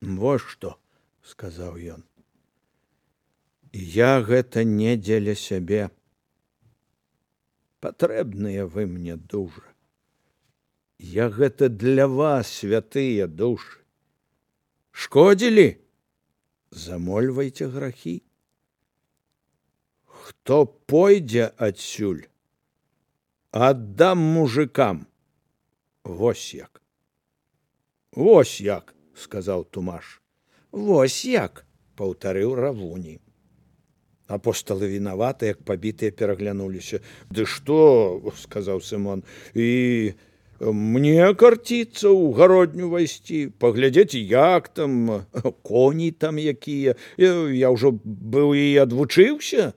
Во што, сказаў ён. Я гэта не дзеля сябе. Патрэбныя вы мне дужа. Я гэта для вас, святыя душы. Шкодзілі? Замольвайце грахі. Хто пойдзе адсюль, аддам мужикам. Вось як. Вось як, сказаў Тумаш. Вось як, паўтарыў Равуні. Апосталы вінаваты, як пабітыя, пераглянуліся. Ды што, сказаў Сымон, і мне карціцца ў гародню вайсці, паглядзець, як там, коні там якія. Я ўжо быў і адвучыўся.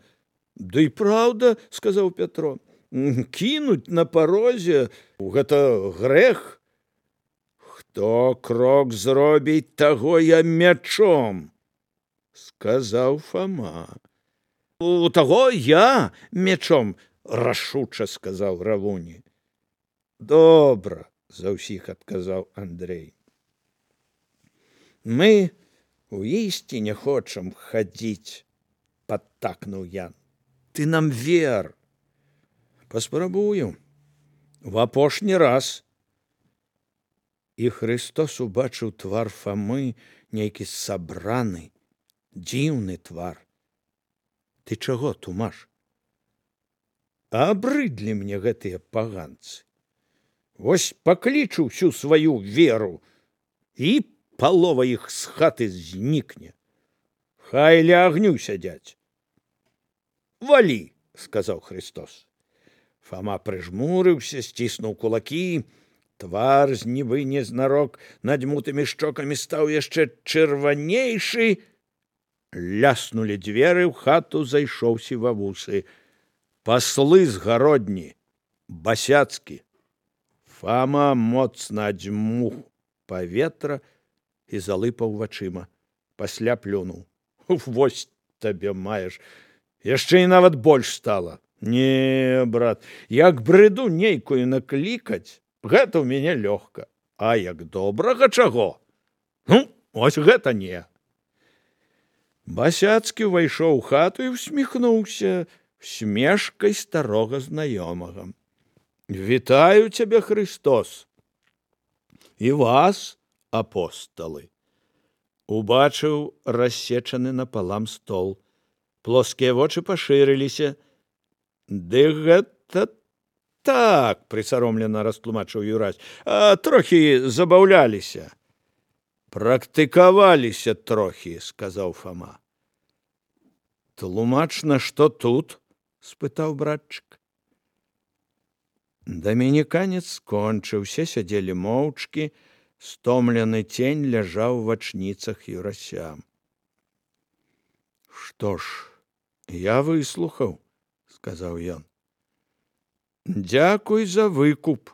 Ды і праўда, сказаў Пятро, кінуць на парозе, гэта грэх. Хто крок зробіць, таго я мячом, сказаў Фома. У таго я мячом, рашуча сказаў Равуні. Добра, за ўсіх адказаў Андрэй. Мы у ісці не хочам хадзіць, падтакнуў Ян. Ты нам вер. Паспрабую. В апошні раз. І Христос убачыў твар Фамы, нейкі сабраны, дзіўны твар. Ты чаго, Тумаш? Абрыдлі мне гэтыя паганцы. Вось паклічу всю сваю веру, і палова іх з хаты знікне. Хай ля агню сядзяць. Валі, сказаў Христос. Фома прыжмурыўся, сціснуў кулакі. Твар з нібы незнарок надзьмутымі шчокамі стаў яшчэ чырванейшы. Ляснулі дзверы, ў хату зайшоў Сівавусы. Паслы з гародні, басяцкі. Фома моцна адзьмуў паветра і залыпаў вачыма. Пасля плюнуў. Вось табе маеш. Яшчэ і нават больш стала. Не, брат, як брыду нейкую наклікаць, гэта ў мяне лёгка. А як добрага чаго? Ну, ось гэта не. Басяцкі ўвайшоў у хату і усміхнуўся смешкай старога знаёмага. Вітаю цябе, Христос. І вас, апосталы. Убачыў рассечаны напалам стол. Плоскія вочы пашырыліся. Ды гэта так, прысаромлена растлумачыў Юрась. Трохі забаўляліся. Практыкаваліся трохі, сказаў Фома. Тлумачна, што тут? Спытаў братчык. Дамініканец скончыўся, сядзелі моўчкі, стомлены цень ляжаў у вачніцах Юрася. Што ж, я выслухаў, сказаў ён. Дзякуй за выкуп.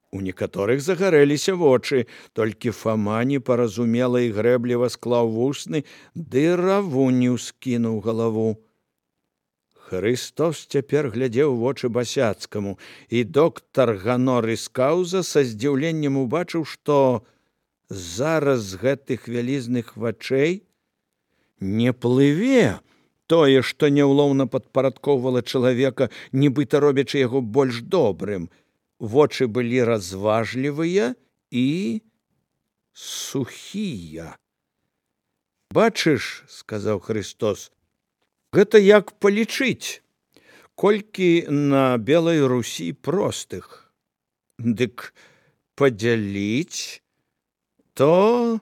У некаторых загарэліся вочы, толькі Фома непаразумела і грэбліва склаў вусны, ды Равуню скінуў галаву. Христос цяпер глядзеў вочы Басяцкаму, і доктар Ганорыс Каўза са здзіўленнем убачыў, што зараз з гэтых вялізных вачэй не плыве тое, што няўлоўна падпарадкоўвала чалавека, нібыта робячы яго больш добрым. Вочы былі разважлівыя і сухія. Бачыш, сказаў Христос, гэта як палічыць, колькі на Белай Русі простых. Дык падзяліць, то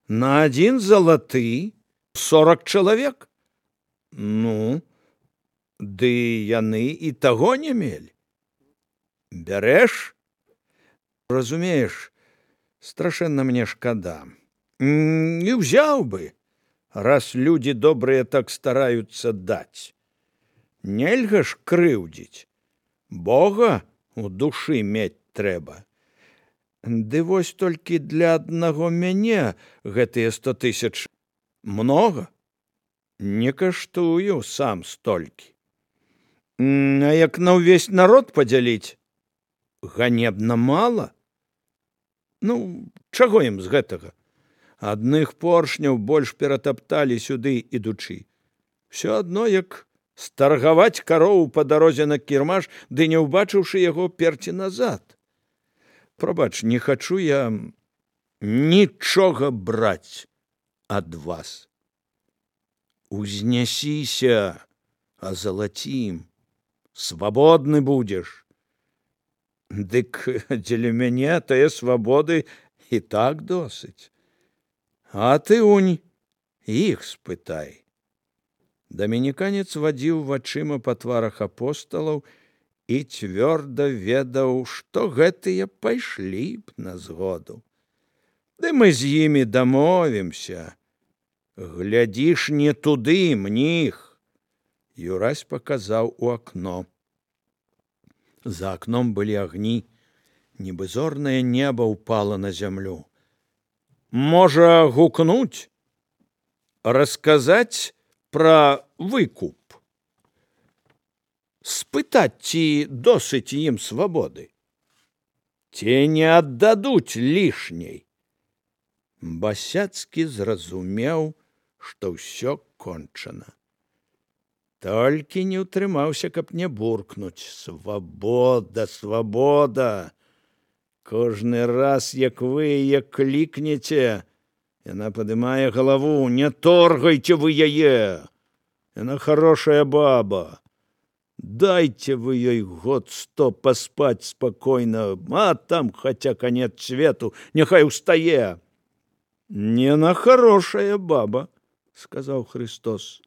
на 1 залаты 40 чалавек. Ну, ды яны і таго не мелі. Бярэш? Разумееш, страшэнна мне шкада. Не ўзяў бы, раз людзі добрыя так стараюцца даць. Нельга ж крыўдзіць. Бога у душы мець трэба. Ды вось толькі для аднаго мяне гэтыя 100 000 многа. Не каштую сам столькі. А як на ўвесь народ падзяліць? Ганебна мала. Ну, чаго ім з гэтага? Адных поршняў больш ператапталі сюды ідучы. Всё адно, як старгаваць карову па дарозе на кірмаш, ды не ўбачыўшы яго перці назад. Прабач, не хачу я нічога браць ад вас. Узнясіся, азалацім, свабодны будзеш. Дык дзеля мяне тае свабоды і так досыць. А ты унь іх спытай. Дамініканец вадзіў вачыма па тварах апосталаў і цвёрда ведаў, што гэтыя пайшлі б на згоду. Ды мы з імі дамовімся. Глядзіш не туды, мніх. Юрась паказаў у акно. За акном былі агні, нібы зорнае неба ўпала на зямлю. Можа, гукнуць? Расказаць пра выкуп? Спытаць, ці досыць ім свабоды? Ці не аддадуць лішняй? Басяцкі зразумеў, што ўсё кончана. Толькі не ўтрымаўся, каб не буркнуць. Свабода, свабода! Кожны раз, як вы яе клікнеце, яна падымае галаву. Не торгайце вы яе! Яна хорошая баба. Дайце вы ёй год 100 паспаць спакойна, а там хаця канец свету, няхай устае. Не на хорошая баба, сказаў Христос.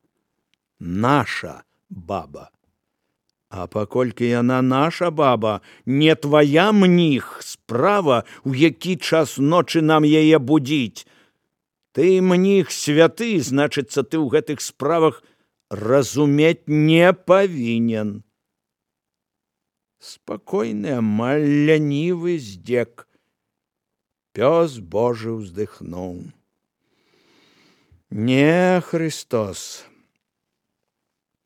Наша баба. А паколькі яна наша баба, не твая, мніх, справа, у які час ночы нам яе будзіць. Ты, мніх, святы, значыцца, ты ў гэтых справах разумець не павінен. Спакойны, амаль лянівы здзек. Пёс Божы ўздыхнуў. Не, Христос,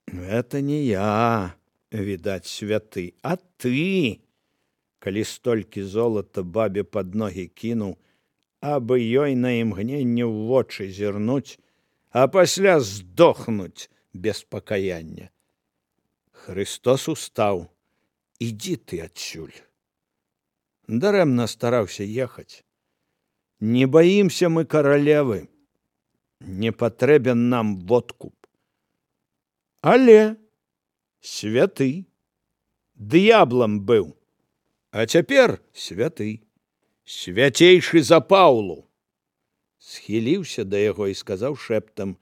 это не я, відаць, святы, а ты, калі столькі золата бабе пад ногі кінуў, абы ёй на імгненне ў вочы зірнуць, а пасля здохнуць без пакаяння. Христос устаў. Ідзі ты адсюль. Дарэмна стараўся ехаць. Не баімся мы каралевы. Не патрэбен нам водкуп. Але святы. Д'яблам быў. А цяпер святы. Свяцейшы за Паўлу. Схіліўся да яго і сказаў шэптам: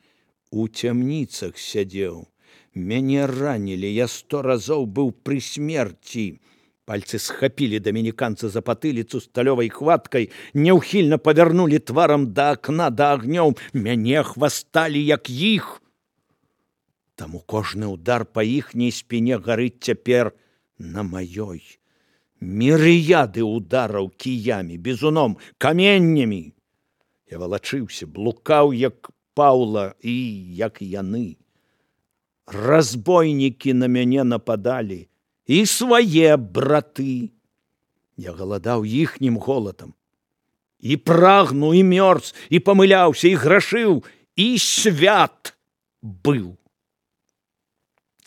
у цямніцах сядзеў. Мяне ранілі, я 100 разоў быў пры смерці. Пальцы схапілі дамініканца за патыліцу сталёвай хваткай, няўхільна павярнулі тварам да акна, да агнёў. Мяне хвасталі, як іх. Таму кожны ўдар па іхняй спіне гарыць цяпер на маёй. Мірыяды ўдараў кіямі, бізуном, каменнямі. Я валачыўся, блукаў, як Паўла, і як яны. Разбойнікі на мяне нападалі, і свае браты. Я галадаў іхнім голадам. І прагну, і мёрз, і памыляўся, і грашыў, і свят быў.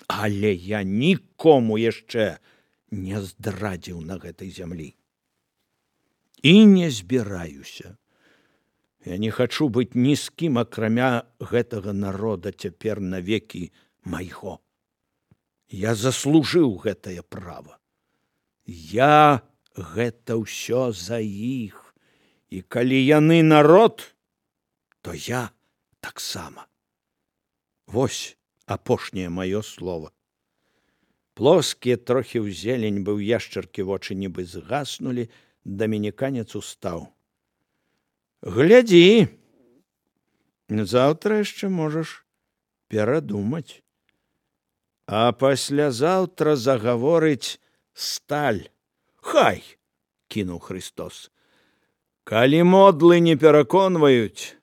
Але я нікому яшчэ не здрадзіў на гэтай зямлі. І не збіраюся. Я не хачу быць ні з кім, акрамя гэтага народа цяпер навекі майго. Я заслужыў гэтае права. Я гэта ўсё за іх. І калі яны народ, то я таксама. Вось апошняе маё слово. Плоскія трохі ў зелень, быў яшчаркі вочы нібы згаснулі, дамініканец устаў. Глядзі, заўтра яшчэ можаш перадумаць. А паслязаўтра загаворыць сталь. Хай, кінуў Христос. Калі модлы не пераконваюць,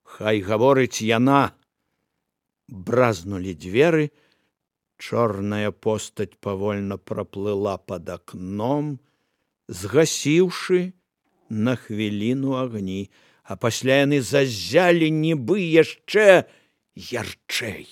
хай гаворыць яна. Бразнулі дзверы, чорная постаць павольна праплыла пад акном, згасіўшы на хвіліну агні, а пасля яны заззялі нібы яшчэ ярчэй.